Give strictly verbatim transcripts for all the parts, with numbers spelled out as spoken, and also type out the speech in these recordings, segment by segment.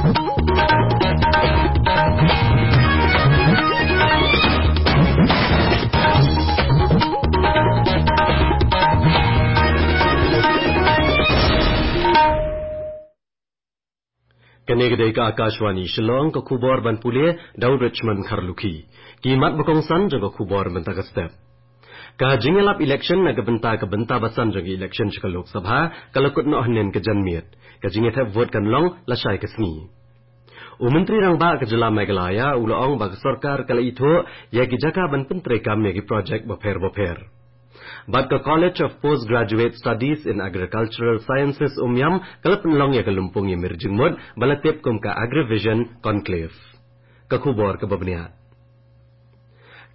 Kane ka dei ka Akashvani Shillong, ka khubor ban pule da u Richmond Kharlukhi. Ki mat ba kongsan jong ka khubor mynta ka step. Ka jingïalap election na ka bynta ka bynta ba san jong ka election sha ka Lok Sabha ka la kut noh hynnin ka janmiet. Ka jingïathep vote kan long lashai ka sngi. U Myntri Rangbah ka jylla Meghalaya u la ong ba ka sorkar ka la ithuh ïa ki jaka ban pyntreikam ïa ki project bapher bapher. Bad ka College of Postgraduate Studies in Agricultural Sciences Umiam ka la pynlong ïa ka lympung ïamir jingmut ba la tip kum ka Agrivision Conclave. Ka khubor kaba bniah.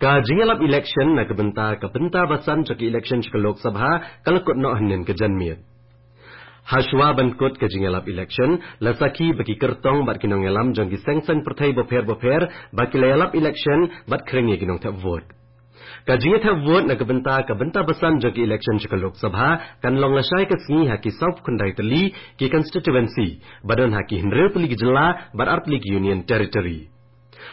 Ka jingïalap election na ka bynta ka bynta ba san jong ka election sha ka Lok Sabha ka la kut noh hynnin ka janmiet. Hashwa ban kut ka jingïalap election, la sakhi ba ki kyrtong bad ki nongïalam jong ki seng saiñ pyrthei bapher bapher ba ki la ïalap election bad khring ïa ki nongthep vote. Ka jingïathep vote na ka bynta ka bynta ba san jong ka election sha ka Lok Sabha kan long lashai ka sngi ha ki sawphew khyndai tylli ki constituency, ba don ha ki hynriew tylli ki jylla bad ar tylli ki Union Territory.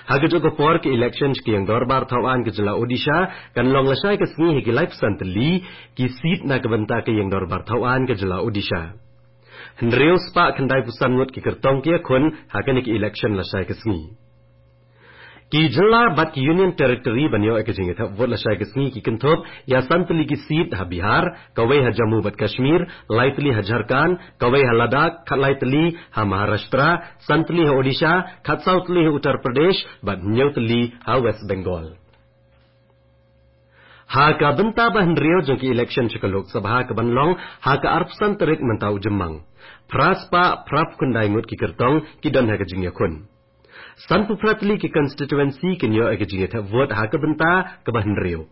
Ha kajuh ka por, ka election sha ka ïing dorbar thaw aiñ ka jylla Odisha kan long lashai ka sngi ha ki laiphew san tylli ki seat na ka bynta ka ïing dorbar thaw aiñ ka jylla Odisha. Hynriew spah khyndaiphew san ngut ki kyrtong ki ïakhun ha kane ka election lashai ka sngi. Ki jylla bad ki Union Territory ban ïoh ïa ka jingïathep vote lashai ka sngi ki kynthup ïa san tylli ki seat ha Bihar, kawei ha Jammu bad Kashmir, lai tylli ha Jharkhand, kawei ha Ladakh, khatlai tylli ha Maharashtra, san tylli ha Odisha, khatsaw tylli ha Uttar Pradesh bad hynñiew tylli ha West Bengal. Ha ka bynta ba hynriew jong ka election sha ka Lok Sabha ka ban long ha ka arphew san tarik mynta u Jymmang, phra spah phraphew khyndai ngut ki kyrtong ki don ha ka jingïakhun. Sanphew phra tylli ki constituency kin ïoh ïa ka jingïathep vote ha ka bynta kaba hynriew.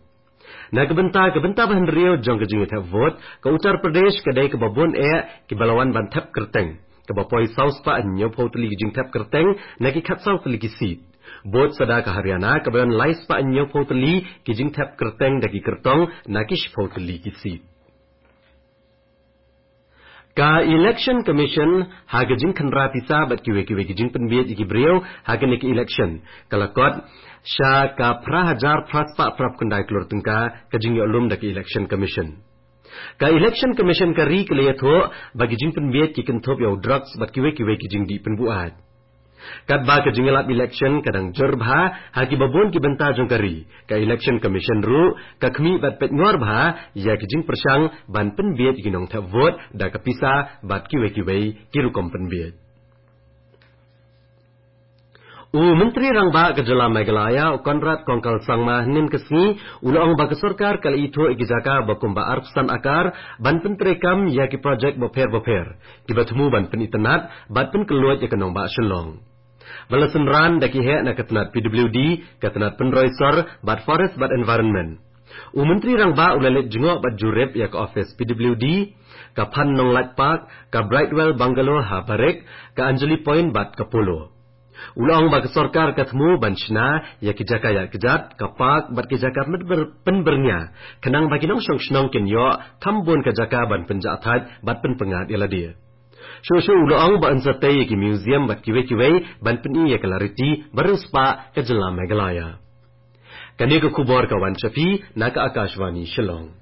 Na ka bynta ka bynta ba hynriew jong ka jingïathep vote, ka Uttar Pradesh ka dei kaba bun eh kiba la wan ban thep kyrteng, kaba poi saw spah hynñiewphew tylli ki jingthep kyrteng na ki khatsaw tylli ki seat. Bud sa da ka Haryana kaba don lai spah hynñiewphew tylli ki jingthep kyrteng da ki kyrtong na ki shiphew tylli ki seat. Ka Election Commission ha ka jingkhynra pisa bad kiwei kiwei ki jingpynbiej ïa ki briew ha kane ka election ka la kot sha ka phra hajar phra spah phraphew khyndai klur tyngka ka jingïoh lum da ka Election Commission. Ka Election Commission ka ri ka la ïathuh ba ki jingpynbiej ki kynthup ïa u drugs bad kiwei kiwei ki jingdih pynbuaid. Katba ka jingïalap election ka dang jur bha ha kiba bun ki bynta jong ka ri, ka Election Commission ruh ka khmih bad peit ngor bha ïa ki jingpyrshang ban pynbiej ïa ki nongthep vote da ka pisa bad kiwei kiwei ki rukom pynbiej. U Myntri Rangbah ka jylla Meghalaya, u Conrad Kongkal Sangma, hynnin ka sngi u la ong ba ka sorkar ka la ithuh ïa ki jaka ba kumba arphew san akar ban pyntreikam ïa ki project bapher bapher kiba thmu ban pynitynnad bad pynkylluid ïa ka nongbah Shillong, ba la synran da ki heh na ka tnat P W D, ka tnat pynroi sor bad Forest bad Environment. U Myntri Rangbah u la leit jngoh bad jurip ïa ka office P W D, ka Phan Nonglait Park, ka Brightwell Bungalow ha Barik, ka Anjali Point bad ka Polo. U la ong ba ka sorkar ka thmu ban shna ïa ki jaka ïaid kjat, ka park bad ki jaka pynbyr-, pynbyrngia, khnang ba ki nongshong shnong kin ïoh kham bun ka jaka ban pynjah thait bad pynpyngngad ïa lade. Shuh shuh u la ong ba yn sa tei ïa ki museum bad kiwei kiwei ban pyni ïa ka lariti ba riewspah ka jylla Meghalaya. Kane ka khubor ka wan sha phi na ka Akashvani Shillong.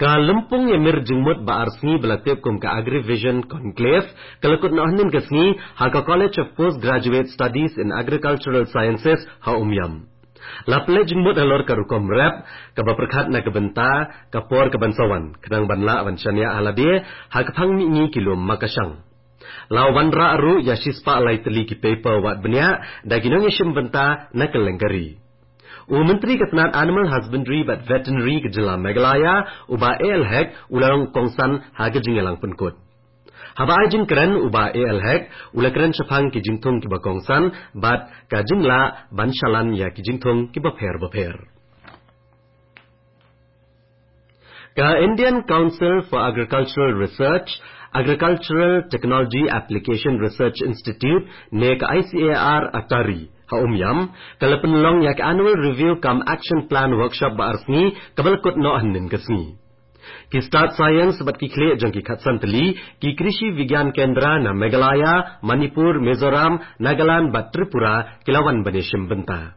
Ka lympung ïamir jingmut ba ar sngi ba la tip kum ka Agrivision Conclave ka la kut noh hynnin ka sngi ha ka College of Postgraduate Studies in Agricultural Sciences ha Umiam. La pynleit jingmut halor ka rukom rep kaba pyrkhat na ka bynta ka por ka ban sa wan, khnang ban lah ban shaniah ha lade ha ka phang mihngi ki lum makashang. La wanrah ruh ïa shispah lai tylli ki paper wad bniah da ki nongïashim bynta na kylleng ka ri. U Myntri ka tnat Animal Husbandry bad Veterinary ka jylla Meghalaya, u Bah A L Hek, u la long kongsan ha ka jingïalang pynkut. Haba ai jingkren, u Bah A L Hek u la kren shaphang ki jingthung kiba kongsan bad ka jinglah ban shalan ïa ki jingthung kiba pher bapher. Ka Indian Council for Agricultural Research, Agricultural Technology Application Research Institute, ne ka I C A R ATARI, ha Umiam ka la pynlong ïa ka Annual Review cum Action Plan Workshop ba ar sngi kaba la kut noh hynnin ka sngi. Ki stad science bad ki khlieh jong ki khatsan tylli, ki Krishi Vigyan Kendra na Meghalaya, Manipur, Mizoram, Nagaland bad Tripura ki la wan ban ïashim bynta.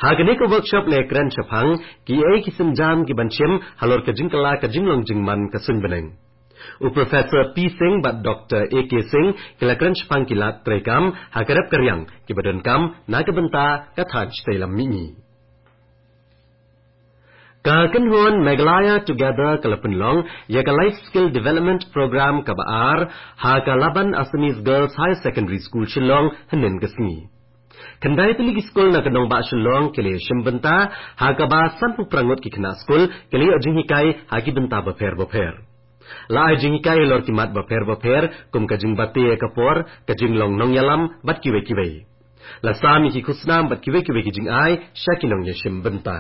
Ha kane ka workshop la kren shaphang kiei ki sienjam ki ban shim halor ka jingkylla ka jinglong jingman ka suiñ bneng. U Professor P Singh bad Doctor A K Singh ki la kren shaphang ki lad treikam ha ka rep ka riang kiba donkam na ka bynta ka thaiñ shatei lam mihngi. Ka kynhun Meghalaya Together ka la pynlong ïa ka Life Skill Development Program kaba ar ha ka Laban Assamese Girls Higher Secondary School Shillong hynnin ka sngi. Khyndai tylli ki skul na ka nongbah Shillong ki la ïashim bynta, ha kaba sanphew phra ngut ki khynnah skul ki la ïoh jinghikai ha ki bynta bapher bapher. La ai jinghikai halor ki mat bapher bapher kum ka jingbate ïa ka por, ka jinglong nongïalam bad kiwei kiwei. La sam ïa ki khusnam bad kiwei kiwei ki jingai sha ki nongïashim bynta.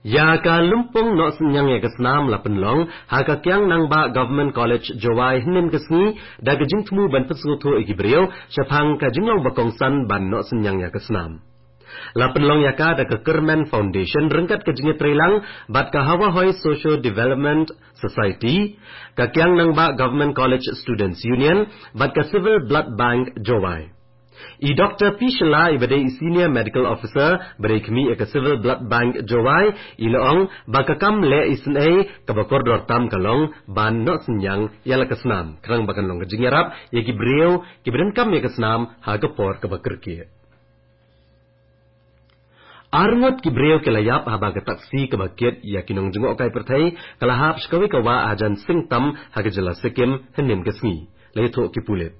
Ïa ka lympung noh synñiang ïa ka snam la pynlong ha ka Kiang Nangbah Government College Jowai hynnin ka sngi, da ka jingthmu ban pynsngewthuh ïa ki briew shaphang ka jinglong ba kongsan ban noh synñiang ïa ka snam. La pynlong ïa ka da ka Kyrmen Foundation ryngkat ka jingïatreilang bad ka Hawahoi Socio Development Society, ka Kiang Nangbah Government College Students Union bad ka Civil Blood Bank Jowai. I Doctor P Shylla, iba dei i Senior Medical Officer ba dei khmih ïa ka Civil Blood Bank Jowai, i la ong ba ka kam leh isynei kaba kordor tam ka long ban noh synñiang ïa la ka snam, khnang ba kan long ka jingïarap ïa ki briew kiba donkam ïa ka snam ha ka por kaba kyrkieh. Ar ngut ki briew ki la ïap haba ka taksi kaba kit ïa ki nongjngohkai pyrthei ka la hap sha kawei ka wah hajan Singtam ha ka jylla Sikkim hynnin ka sngi, la ïathuh ki pulit.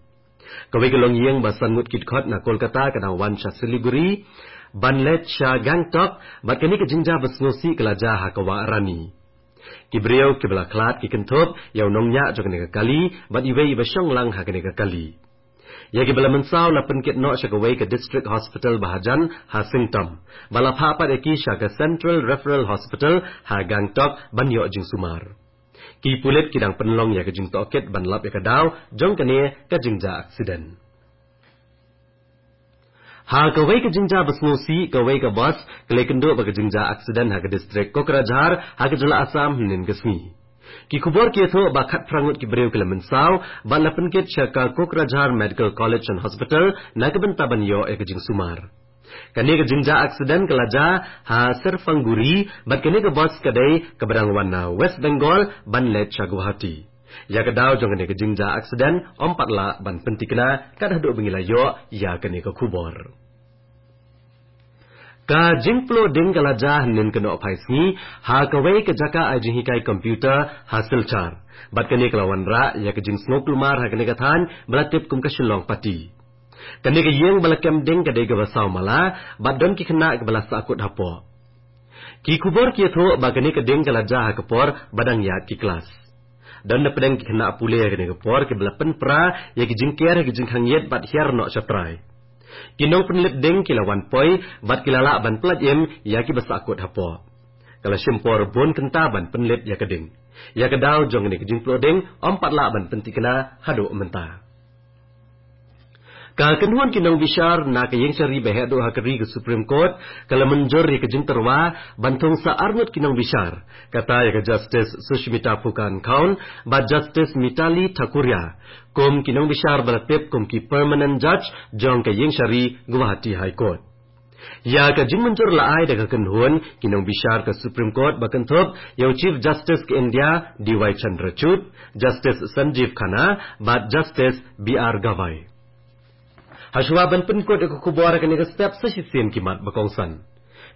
Kawei ka longïing ba san ngut ki dkhot na Kolkata ka dang wan sha Siliguri ban leit sha Gangtok, bad kane ka jingjia ba sngewsih ka la jia ha ka wah Rani. Ki briew kiba la khlad ki kynthup ïa u nongñiah jong kane ka kali bad iwei iba shong lang ha kane ka kali. Ïa kiba la mynsaw la pynkit noh sha kawei ka District Hospital ba hajan ha Singtam, bad la phah pat ïa ki sha ka Central Referral Hospital ha Gangtok ban ïoh jingsumar. Ki pulit ki dang pynlong ïa ka jingtohkit ban lap ïa ka daw jong kane ka jingjia aksiden. Ha kawei ka jingjia ba sngewsih, kawei ka bus ka la ïakynduh bad ka jingjia aksiden ha ka distrik Kokrajhar ha ka jylla Assam hynnin ka sngi. Ki khubor ki ïathuh ba khatphra ngut ki briew ki la mynsaw bad la pynkit sha ka Kokrajhar Medical College and Hospital na ka bynta ban ïoh ïa ka jingsumar. Kane ka jingjia aksiden ka la jia ha Serphangguri, bad kane ka bus ka dei kaba dang wan na West Bengal ban leit sha Guwahati. Ïa ka daw jong kane ka jingjia aksiden ym pat lah ban pynthikna kat haduh ba ngi la ïoh ïa kane ka khubor. Ka jingpluh ding ka la jia hynnin ka nohphai sngi ha kawei ka jaka ai jinghikai computer ha Silchar, bad kane ka la wanrah ïa ka jingsngewkulmar ha kane ka thaiñ ba la tip kum ka Shillong Patti. Kane ka ïing ba la kem ding ka dei kaba saw mala, bad don ki khynnah kiba la sahkut hapoh. Ki khubor ki ïathuh ba kane ka ding ka la jia ha ka por ba dang ïaid ki klas. Don napdeng ki khynnah pule ha kane ka por kiba la pynpra ïa ki jingker ha ki jingkhang ïit bad hiar noh sha trai. Ki nongpynlip ding ki la wan poi bad ki la lah ban pyllait im ïa kiba sahkut hapoh. Ka la shim por bun kynta ban pynlip ïa ka ding. Ïa ka daw jong kane ka jingpluh ding ym pat lah ban pynthikna haduh mynta. Ka kynhun ki nongbishar na ka ïingshari ba heh duh ha ka ri ka Supreme Court ka la mynjur ïa ka jingtyrwa ban thung sa ar ngut ki nongbishar, kata ïa ka Justice Sushmita Phukan Khaun bad Justice Mitali Thakuria kum ki nongbishar ba la tip kum ki permanent judge jong ka ïingshari Guwahati High Court. Ïa ka jingmynjur la ai da ka kynhun ki nongbishar ka Supreme Court ba kynthup ïa u Chief Justice ka India D Y Chandrachud, Justice Sanjeev Khanna bad Justice B R Gavai. Hashwa ban pynkut ïa ka khubor ha kane ka step sa shisien ki mat ba kongsan.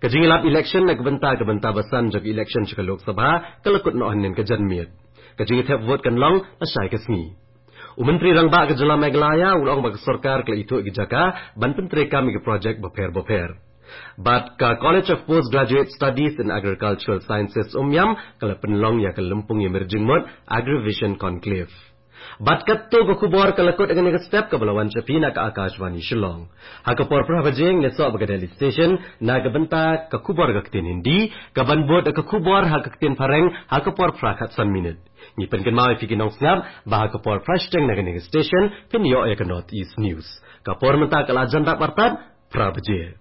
Ka jingïalap election na ka bynta ka bynta ba san jong ka election sha ka Lok Sabha ka la kut noh hynnin ka janmiet. Ka jingïathep vote kan long lashai ka sngi. U Myntri Rangbah ka jylla Meghalaya u la ong ba ka sorkar ka la ithuh ïa ki jaka ban pyntreikam ïa ki projek bapher bapher. Bad ka College of Postgraduate Studies in Agricultural Sciences, Umiam, ka la pynlong ïa ka lympung ïamir jingmut Agrivision Conclave. Bad katto ka khubor ka la kut ha kane ka step kaba la wan sha phi na ka Akashvani Shillong. Ha ka por phra baje ngin ïasoh bad ka Delhi Station na ka bynta ka khubor ka ktien Hindi, kaban bud ka khubor ha ka ktien Phareng ha ka por phra khatsan minit. Ngi pynkynmaw ïa phi ki nongsngap ba ha ka por phra shiteng na kane ka station phin ïoh ïa ka North East News. Ka por mynta ka la jan dap artat phra baje.